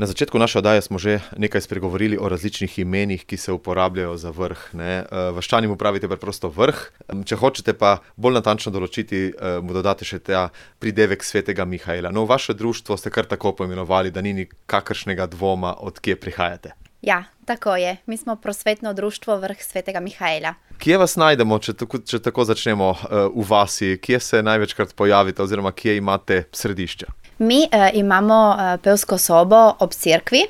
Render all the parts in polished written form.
Na začetku naše oddaje smo že nekaj spregovorili o različnih imenih, ki se uporabljajo za vrh. Vaščani mu pravite preprosto vrh. Če hočete pa bolj natančno določiti, mu dodate še ta pridevek svetega Mihaela. No, vaše društvo ste kar tako poimenovali, da ni nikakršnega dvoma, od kje prihajate. Ja, tako je. Mi smo prosvetno društvo Vrh svetega Mihaela. Kje vas najdemo, če tako začnemo v vasi? Kje se največkrat pojavite oziroma kje imate središče? Mi imamo pevsko sobo ob cerkvi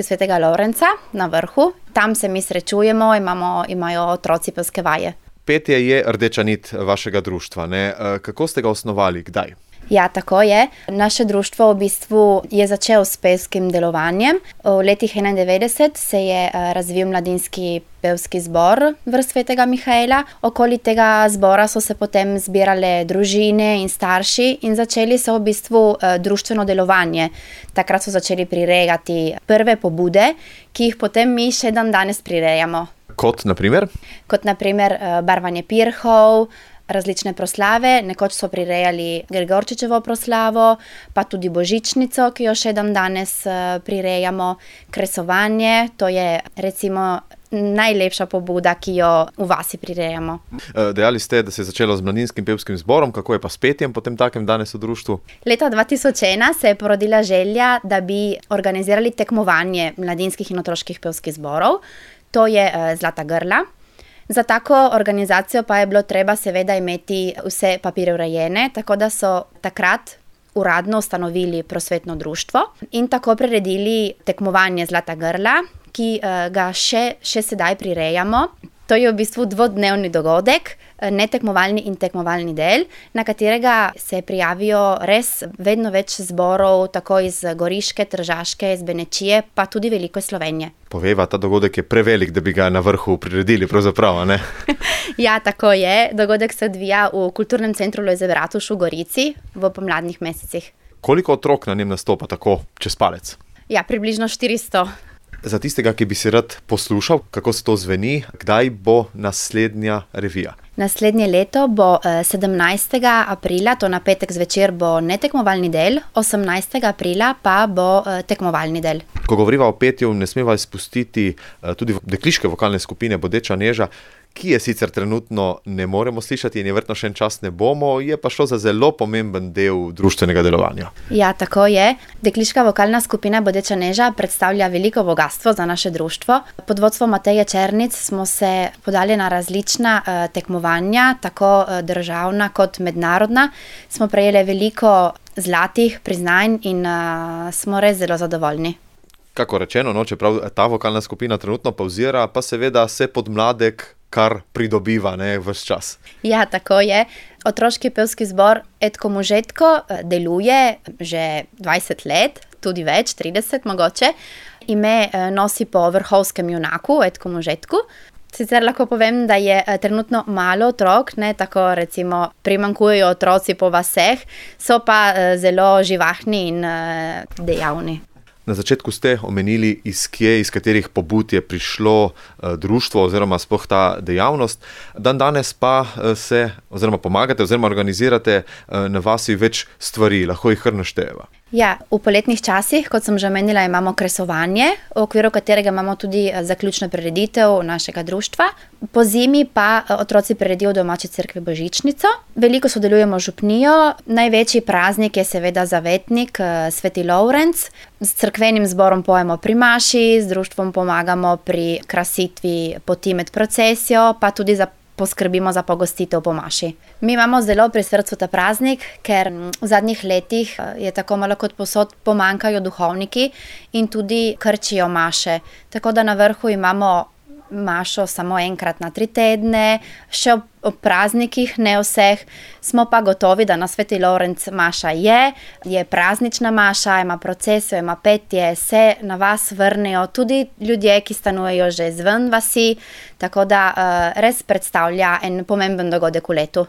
svetega Lovrenca na vrhu. Tam se mi srečujemo, imajo otroci pevske vaje. Petje je rdeča nit vašega društva, ne? Kako ste ga osnovali, kdaj? Ja, tako je. Naše društvo v bistvu je začelo s pevskim delovanjem. V letih 91 se je razvil mladinski pevski zbor Vrh svetega Mihaela. Okoli tega zbora so se potem zbirale družine in starši in začeli so v bistvu društveno delovanje. Takrat so začeli prirejati prve pobude, ki jih potem mi še danes prirejamo. Kot naprimer? Kot naprimer barvanje pirhov, različne proslave. Nekoč so prirejali Gregorčičevo proslavo, pa tudi božičnico, ki jo še danes prirejamo. Kresovanje, to je recimo najlepša pobuda, ki jo v vasi prirejamo. Dejali ste, da se je začelo z mladinskim pevskim zborom, kako je pa s petjem potem takem danes v društvu? Leta 2001 se je porodila želja, da bi organizirali tekmovanje mladinskih in otroških pevskih zborov. To je Zlata grla. Za tako organizacijo pa je bilo treba seveda imeti vse papirje urejene, tako da so takrat uradno ustanovili prosvetno društvo in tako priredili tekmovanje Zlata grla, ki ga še sedaj prirejamo. To je v bistvu dvodnevni dogodek, netekmovalni in tekmovalni del, na katerega se prijavijo res vedno več zborov, tako iz Goriške, Tržaške, iz Benečije, pa tudi veliko iz Slovenije. Povejva, ta dogodek je prevelik, da bi ga na vrhu priredili, pravzaprav, ne? Ja, tako je. Dogodek se odvija v Kulturnem centru Lojze Bratuš v Gorici v pomladnih mesecih. Koliko otrok na njem nastopa tako čez palec? Ja, približno 400. Za tistega, ki bi si rad poslušal, kako se to zveni, kdaj bo naslednja revija? Naslednje leto bo 17. aprila, to na petek zvečer bo netekmovalni del, 18. aprila pa bo tekmovalni del. Ko govoriva o petju, ne smeva izpustiti tudi dekliške vokalne skupine Bodeča neža, ki je sicer trenutno ne moremo slišati in je verjetno še en čas ne bomo, je pa šlo za zelo pomemben del društvenega delovanja. Ja, tako je. Dekliška vokalna skupina Bodeča neža predstavlja veliko bogastvo za naše društvo. Pod vodstvom Mateje Černic smo se podali na različna tekmovanja, tako državna kot mednarodna. Smo prejeli veliko zlatih priznanj in smo res zelo zadovoljni. Kako rečeno, čeprav ta vokalna skupina trenutno pavzira, pa seveda se podmladek kar pridobiva, ves čas. Ja, tako je. Otroški pevski zbor Etko Možetko deluje že 20 let, tudi več, 30 mogoče. Ime nosi po vrhovskem junaku Etko Možetku. Sicer lahko povem, da je trenutno malo otrok, tako recimo primanjkujejo otroci po vaseh, so pa zelo živahni in dejavni. Na začetku ste omenili, iz katerih pobud je prišlo društvo oziroma sploh ta dejavnost. Danes pa se oziroma pomagate oziroma organizirate na vasi več stvari, lahko jih kar naštejeva. Ja, v poletnih časih, kot sem že omenila, imamo kresovanje, v okviru katerega imamo tudi zaključno prireditev našega društva. Po zimi pa otroci priredijo v domači cerkvi božičnico. Veliko sodelujemo z župnijo. Največji praznik je seveda zavetnik, sveti Lovrenc. S cerkvenim zborom pojemo pri maši, z društvom pomagamo pri krasitvi poti med procesijo, pa tudi poskrbimo za pogostitev po maši. Mi imamo zelo pri srcu ta praznik, ker v zadnjih letih je tako malo kot povsod pomanjkajo duhovniki in tudi krčijo maše. Tako da na vrhu imamo mašo samo enkrat na 3 tedne, še ob praznikih, ne vseh. Smo pa gotovi, da na sveti Lovrenc maša je praznična maša, ima procesijo, ima petje, se na vas vrnejo tudi ljudje, ki stanujejo že zven vasi, tako da res predstavlja en pomemben dogodek v letu.